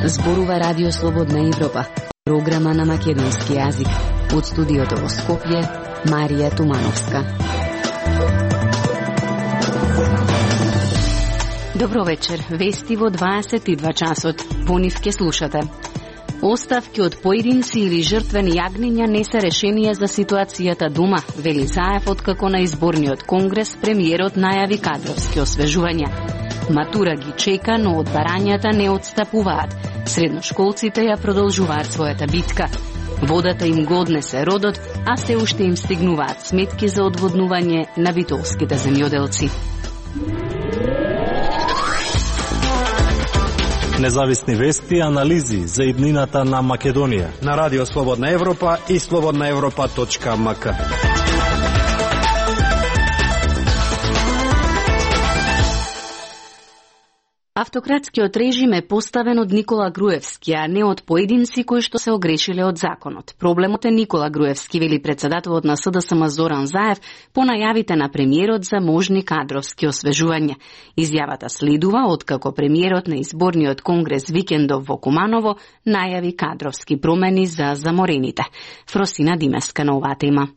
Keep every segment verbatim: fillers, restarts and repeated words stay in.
Зборува Радио Слободна Европа, програма на македонски јазик. Од студиото во Скопје, Марија Тумановска. Добро вечер, вести во дваесет и два часот. Во нив ке слушате. Оставки од поединци или жртвени јагниња не се решение за ситуацијата дома, вели Заев, откако на изборниот конгрес премиерот најави кадровски освежувања. Матура ги чека, но од барањата не отстапуваат. Средношколците ја продолжуваат својата битка. Водата им го однесе родот, а се уште им стигнуваат сметки за одводнување на битолските земјоделци. Независни вести и анализи за иднината на Македонија на Радио Слободна Европа и слободна европа точка ем ка. Автократскиот режим е поставен од Никола Груевски, а не од поединци кои што се огрешиле од законот. Проблемот е Никола Груевски, вели председателот на С Д С М Зоран Заев по најавите на премиерот за можни кадровски освежувања. Изјавата следува откако премиерот на изборниот конгрес викендов во Куманово најави кадровски промени за заморените. Фросина Димеска на оваа тема.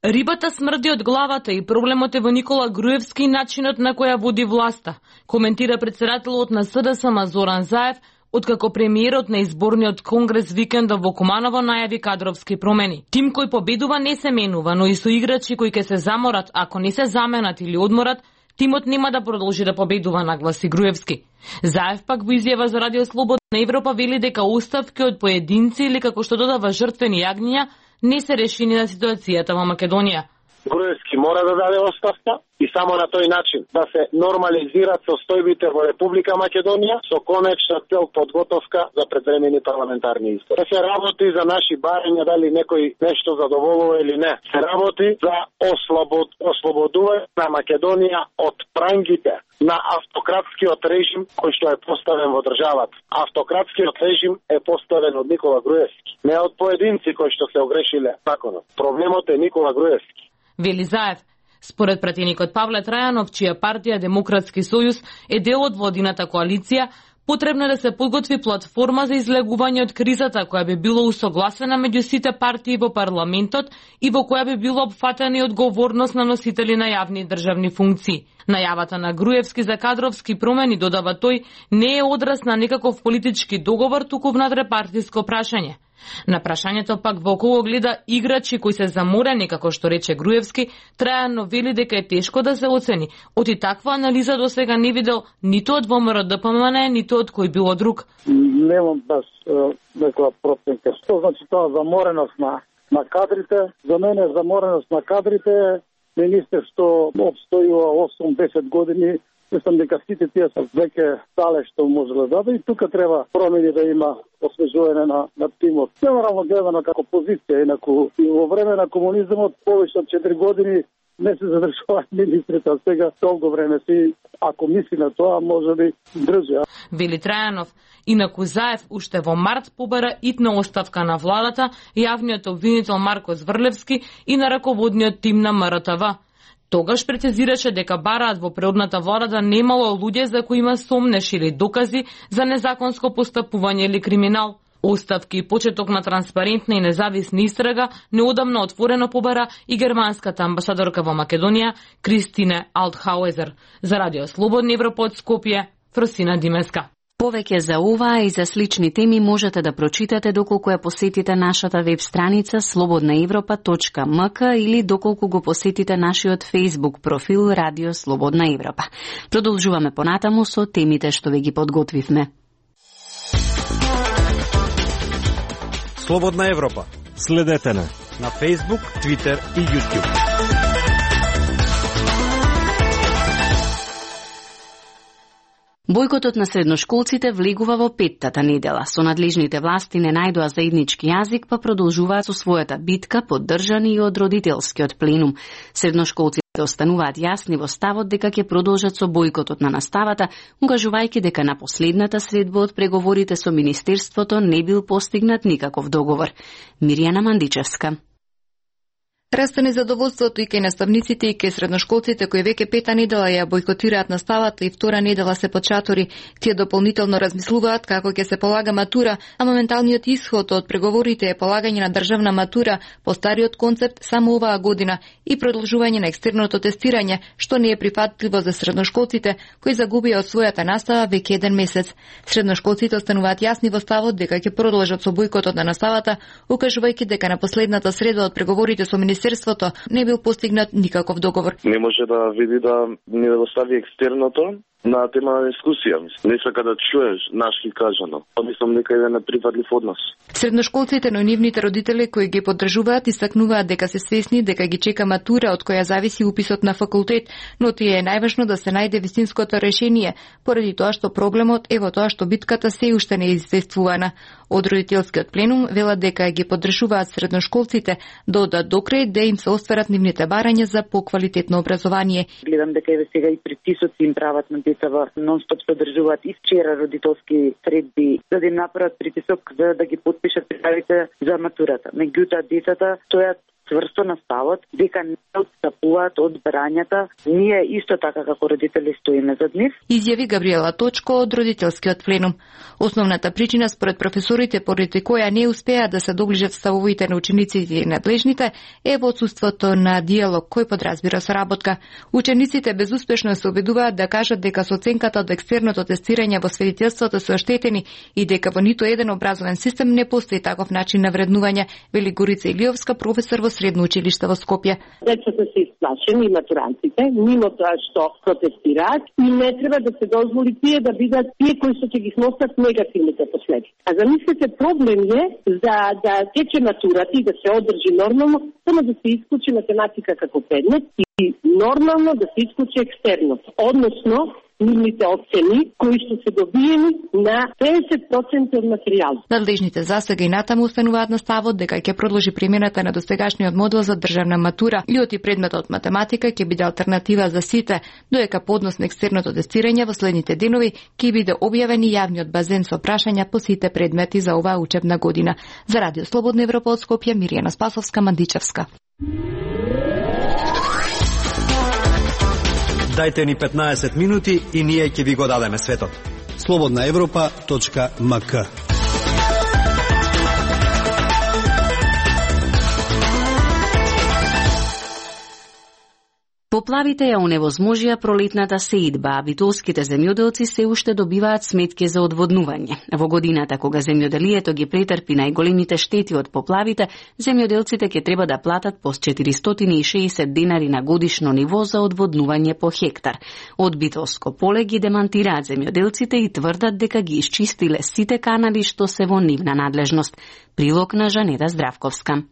Рибата смрди од главата и проблемот е во Никола Груевски и начинот на која води власта, коментира председателот на С Д С М Зоран Заев, откако премиерот на изборниот конгрес викендов во Куманово најави кадровски промени. Тим кој победува не се менува, но и со играчи кои ќе се заморат, ако не се заменат или одморат, тимот нема да продолжи да победува, нагласи Груевски. Заев пак во изјава за Радио Слободна Европа вели дека оставки од поединци или како што додава жртвени јагниња не се решени на ситуацијата во Македонија. Груевски мора да даде оставка и само на тој начин да се нормализираат состојбите во Република Македонија со конечна цел подготовка за предвремени парламентарни избори. Да се работи за наши барања, дали некој нешто задоволува или не. Се работи за ослобод, ослободување на Македонија од прангите на автократскиот режим кој што е поставен во државата. Автократскиот режим е поставен од Никола Груевски, не од поединци кои што се огрешиле законот. Проблемот е Никола Груевски. Вели Заев. Според пратеникот Павле Трајанов, чија партија Демократски сојуз е дел од владината коалиција, потребно да се подготви платформа за излегување од кризата која би било усогласена меѓу сите партии во парламентот и во која би било опфатена и одговорност на носители на јавни државни функции. Најавата на Груевски за кадровски промени, додава тој, не е одраз на некаков политички договор, туку внатрепартиско прашање. На прашањето пак во кого гледа играчи кои се заморени, како што рече Груевски, Трајано вели дека е тешко да се оцени. Оти таква анализа до сега не видел ниту од Во М Р Д П М Н, ниту од кој било друг. Немам баш некоја проценка. Што значи тоа замореност на, на кадрите? За мене замореност на кадрите е министер што обстојува осум-десет години. Мислам дека сите тие се веќе стале што може да даде и тука треба промени да има освежување на, на тимот. Генерално гледано како позиција, инаку и во време на комунизмот повеќе од четири години не се задржуваат министрите, а сега долго време си, ако мисли на тоа, може би држи. Вели Трајанов. Инаку Заев уште во март побара итна оставка на владата, јавниот обвинител Марко Зврлевски и на раководниот тим на М Р Т В. Тогаш прецизираше дека бараат во предходната влада да немало луѓе за кои има сомнеш или докази за незаконско постапување или криминал. Оставки и почеток на транспарентна и независна истрага неодамна отворено побара и германската амбасадорка во Македонија Кристине Алтхауезер. За Радио Слободна Европа од Скопје, Фросина Димеска. Повеќе за оваа и за слични теми можете да прочитате доколку ја посетите нашата веб страница слободна европа точка ем ка или доколку го посетите нашиот Facebook профил Радио Слободна Европа. Продолжуваме понатаму со темите што ви ги подготвивме. Слободна Европа. Следете на на Facebook, Twitter и YouTube. Бојкотот на средношколците влегува во петтата недела. Со надлежните власти не најдоа заеднички јазик, па продолжуваат со својата битка, поддржани и од родителскиот пленум. Средношколците остануваат јасни во ставот дека ќе продолжат со бојкотот на наставата, угажувајќи дека на последната средба од преговорите со Министерството не бил постигнат никаков договор. Миријана Мандичевска. Расте незадоволството и кај наставниците и кај средношколците кои веќе пета недела ја бојкотираат наставата и втора недела се под шатори. Тие дополнително размислуваат како ќе се полага матура, а моменталниот исход од преговорите е полагање на државна матура по стариот концепт само оваа година и продолжување на екстерното тестирање, што не е прифатливо за средношколците кои загубија од својата настава веќе еден месец. Средношколците остануваат јасни во ставот дека ќе продолжат со бојкотот на наставата, укажувајќи дека на последната среда од преговорите со Министерството не бил постигнат никаков договор. Не може да види да не достави екстерното на тема на дискусија. Не сака да чуеш нашки кажано. Мислам дека е неприфатлив однос. Средношколците, но и нивните родители кои ги поддржуваат истакнуваат дека се свесни дека ги чека матура од која зависи уписот на факултет, но тие е најважно да се најде вистинското решение, поради тоа што проблемот е во тоа што битката се уште не е известувана. Од родителскиот пленум велат дека ги поддржуваат средношколците да одат до крај да им се остварат нивните барања за поквалитетно образование. Гледам дека еве сега и притисоци им прават на децава, нон-стоп се одржуваат и вчера родителски средби за да им направат притисок за да ги подпишат пријавите за матурата. Меѓутоа децата стојат цврсто на ставот дека не отстапуваат од барањата. Ние исто така како родители стоиме зад нив. Изјави Габриела Точко од родителскиот пленум. Основната причина според професорите поради која не успеа да се доближат ставовите на учениците и надлежните е во отсуството на диалог кој подразбира соработка. Учениците безуспешно се обидуваат да кажат дека со оценката од екстерното тестирање во свидетелството се оштетени и дека во ниту еден образовен систем не постои таков начин на вреднување, вели Горица Илиовска, професор во средно училиште во Скопје. Децата се исплашени, матурантите, мимо тоа што протестираат и не треба да се дозволи тие да бидат тие кои што ќе ги сносат негативните последици. А замислете, проблем е за да тече матурата и да се одржи нормално, само да се исклучи математика како предмет и нормално да се исклучи екстерното. Односно, нивните оцени кои што се добиени на петдесет проценти од материјал. Надлежните за сега и натаму устануваат на ставот дека ќе продолжи примената на досегашниот модел за државна матура и оти предметот математика ќе биде алтернатива за сите, додека поднос на екстерното тестирање во следните денови ќе биде објавен и јавниот базен со прашања по сите предмети за оваа учебна година. За Радио Слободна Европа од Скопје, Миријана Спасовска, Мандичевска. Дајте ни петнаесет минути и ние ќе ви го дадеме светот. слободна европа точка ем ка. Поплавите ја оневозможија пролетната сеидба, а битолските земјоделци се уште добиваат сметки за одводнување. Во годината кога земјоделието ги претрпи најголемите штети од поплавите, земјоделците ќе треба да платат по четиристотини и шеесет денари на годишно ниво за одводнување по хектар. Од Битолско поле ги демантираат земјоделците и тврдат дека ги исчистиле сите канали што се во нивна надлежност. Прилог на Жанета Здравковска.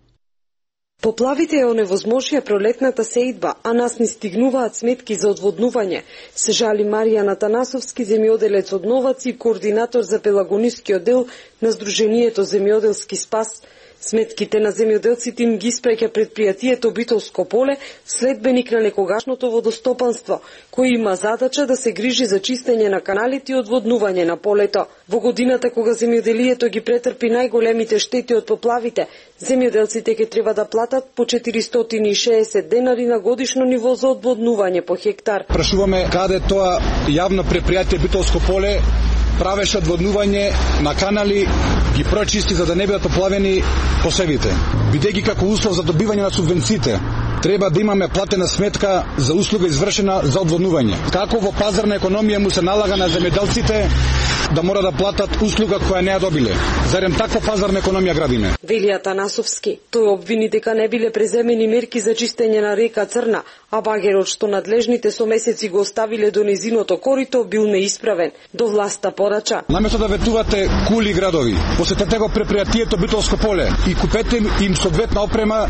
Поплавите ја оневозможија пролетната сеидба, а нас не стигнуваат сметки за одводнување, се жали Маријан Атанасовски, земјоделец од Новаци и координатор за пелагонискиот дел на Сдруженијето Земјоделски спас. Сметките на земјоделците им ги испраќа предпријатието Битолско поле, следбеник на некогашното водостопанство, кој има задача да се грижи за чистење на каналите и одводнување на полето. Во годината кога земјоделието ги претрпи најголемите штети од поплавите, земјоделците ќе треба да платат по четиристотини и шеесет денари на годишно ниво за одводнување по хектар. Прашуваме каде тоа јавно предпријатие Битолско поле правеше одводнување на канали, ги прочисти за да не бидат поплавени посевите. Бидејќи како услов за добивање на субвенциите, треба да имаме платена сметка за услуга извршена за одводнување. Како во пазарна економија му се налага на земјоделците да мора да платат услуга која не ја добиле? Зарем таква пазарна економија градиме? Вели Атанасовски. Тој обвини дека не биле преземени мерки за чистење на река Црна, а багерот што надлежните со месеци го оставиле до незиното корито бил неисправен. До власта порача: наместо да ветувате кули градови, посетете го предпријатието Битолско поле и купете им соодветна опрема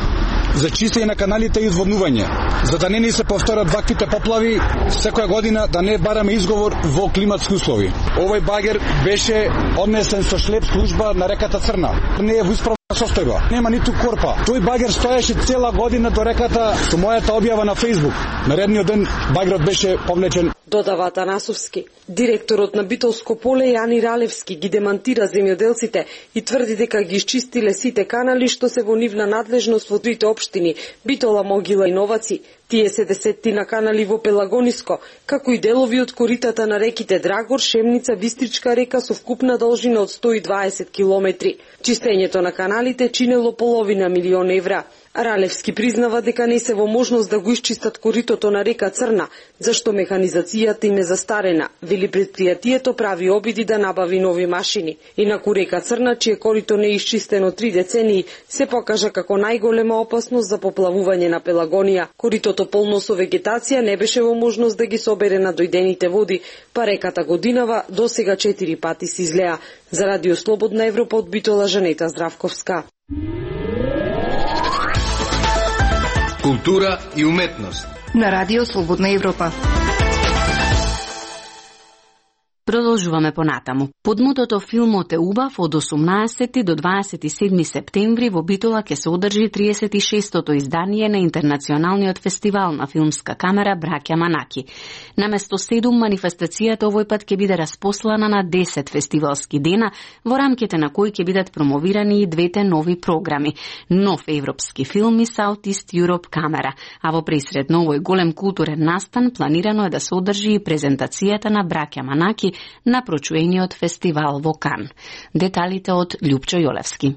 за чистење на каналите и одводнување, за да не ни се повторат ваквите поплави секоја година, да не бараме изговор во климатски услови. Овој багер беше однесен со шлеп служба на реката Црна. Не е во состојба. Нема ниту корпа. Тој багер стоеше цела година до реката со мојата објава на Facebook. Наредниот ден багерот беше повлечен. Додава Атанасовски. Директорот на Битолско поле Јани Ралевски ги демантира земјоделците и тврди дека ги исчистиле сите канали што се во нивна надлежност во трите општини Битола, Могила и Новаци. Тие се десеттина канали во Пелагониско, како и делови од коритата на реките Драгор, Шемница, Бистричка река со вкупна должина од сто и дваесет километри. Чистењето на каналите чинело половина милион евра. Ралевски признава дека не се во можност да го исчистат коритото на река Црна, зашто механизацијата им е застарена. Вели предпријатието прави обиди да набави нови машини. Инаку река Црна, чие корито не е исчистено три децении, се покажа како најголема опасност за поплавување на Пелагонија. Коритото полно со вегетација не беше во можност да ги собере на дојдените води, па реката годинава досега четири пати се излеа. За Радио Слободна Европа од Битола, Жанета Здравковска. Култура и уметност на Радио Слободна Европа. Продолжуваме понатаму. Под мотото Филмот е убав од осумнаесети до дваесет и седми септември во Битола ќе се одржи триесет и шестото издание на Интернационалниот фестивал на филмска камера Браќа Манаки. Наместо седум, манифестацијата овој пат ќе биде распослана на десет фестивалски дена, во рамките на кои ќе бидат промовирани и двете нови програми. Нов европски филм и Southeast Europe камера, а во пресред на овој голем културен настан планирано е да се одржи и презентацијата на Браќа Манаки на прочуениот фестивал во Кан. Деталите од Љупчо Јолевски.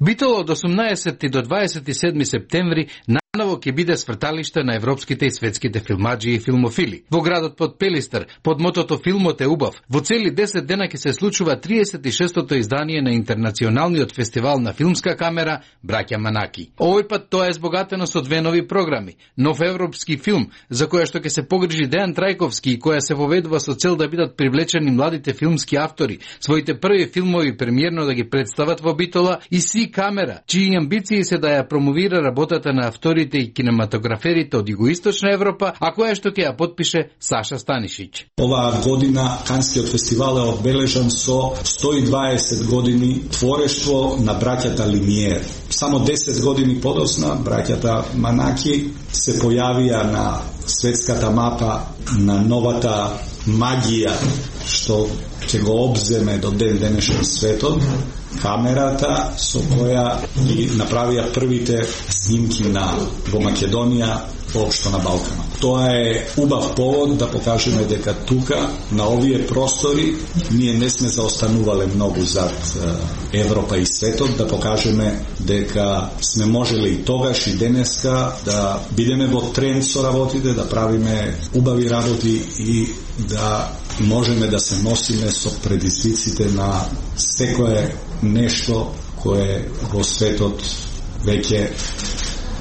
Битола од осумнаесети до дваесет и седми септември наново ќе биде сврталиште на европските и светските филмаджи и филмофили. Во градот под Пелистар, под мотото Филмот е убав, во цели десет дена ќе се случува триесет и шестото издание на Интернационалниот фестивал на филмска камера Браќа Манаки. Овој пат тоа е збогатено со две нови програми. Нов европски филм, за која што ќе се погрижи Дејан Трајковски и која се воведува со цел да бидат привлечени младите филмски автори, своите први филмови премиерно да ги представат во Битола, и Си камера, чии амбиции се да ја промовира работата на авторите и кинематограферите од Југоисточна Европа, а која што ќе ја подпише Саша Станишиć. Оваа година Канскиот фестивал е одбележан со сто и дваесет години творештво на браќата Лимиер. Само десет години подосна браќата Манаки се појавија на светската мапа на новата магија што ќе го обземе до ден денешен светот, камерата со која ги направија првите снимки на во Македонија, воопшто на Балканот. Тоа е убав повод да покажеме дека тука, на овие простори, ние не сме заостанувале многу зад Европа и светот, да покажеме дека сме можеле и тогаш и денеска да бидеме во тренд со работите, да правиме убави работи и да можеме да се носиме со предизвиците на секое нешто кое во светот веќе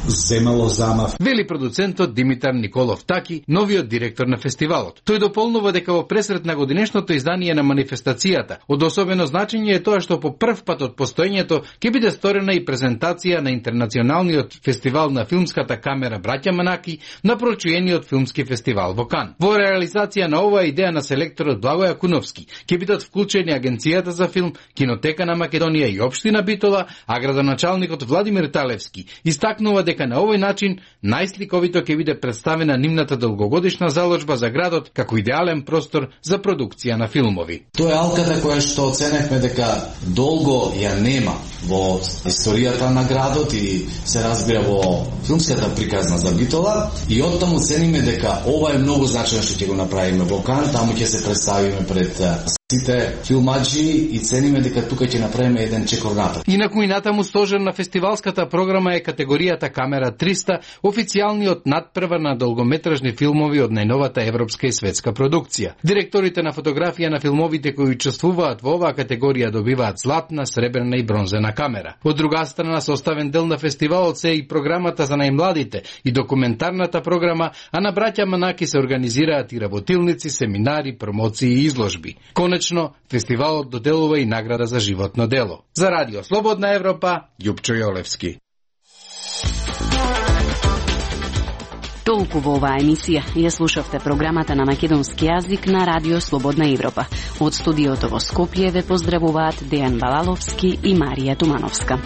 земало замав. Вели продуцентот Димитар Николов Таки, новиот директор на фестивалот. Тој дополнува дека во пресрет на годинешното издание на манифестацијата, од особено значење е тоа што по прв пат од постоењето ќе биде сторена и презентација на Интернационалниот фестивал на филмската камера Браќа Манаки на прочуениот филмски фестивал во Кан. Во реализација на оваа идеја на селекторот Благој Акуновски ќе бидат вклучени Агенцијата за филм, Кинотека на Македонија и Општина Битола, а градоначалникот Владимир Талевски истакнува дека на овој начин најсликовито ќе биде представена нивната долгогодишна заложба за градот како идеален простор за продукција на филмови. Тоа е алката која што оценевме дека долго ја нема во историјата на градот и се разбира во филмската приказна за Битола, и оттаму цениме дека ова е многу значајно што ќе го направиме во Кан, таму ќе се представиме пред сите филмаджи и цениме дека тука ќе направиме еден чекор напред. Инаку и натаму стожер на фестивалската програма е категоријата Камера триста, официјалниот надпревар на долгометражни филмови од најновата европска и светска продукција. Директорите на фотографија на филмовите кои учествуваат во оваа категорија добиваат златна, сребрна и бронзена камера. Од друга страна, составен дел на фестивалот се и програмата за најмладите и документарната програма, а на Браќа Манаки се организираат и работилници, семинари, промоции и изложби. Конечно, фестивалот доделува и награда за животно дело. За Радио Слободна Европа, Љупчо Јолевски. Толку во оваа емисија. Ја слушавте програмата на македонски јазик на Радио Слободна Европа. Од студиото во Скопје ве поздравуваат Дејан Балаловски и Марија Тумановска.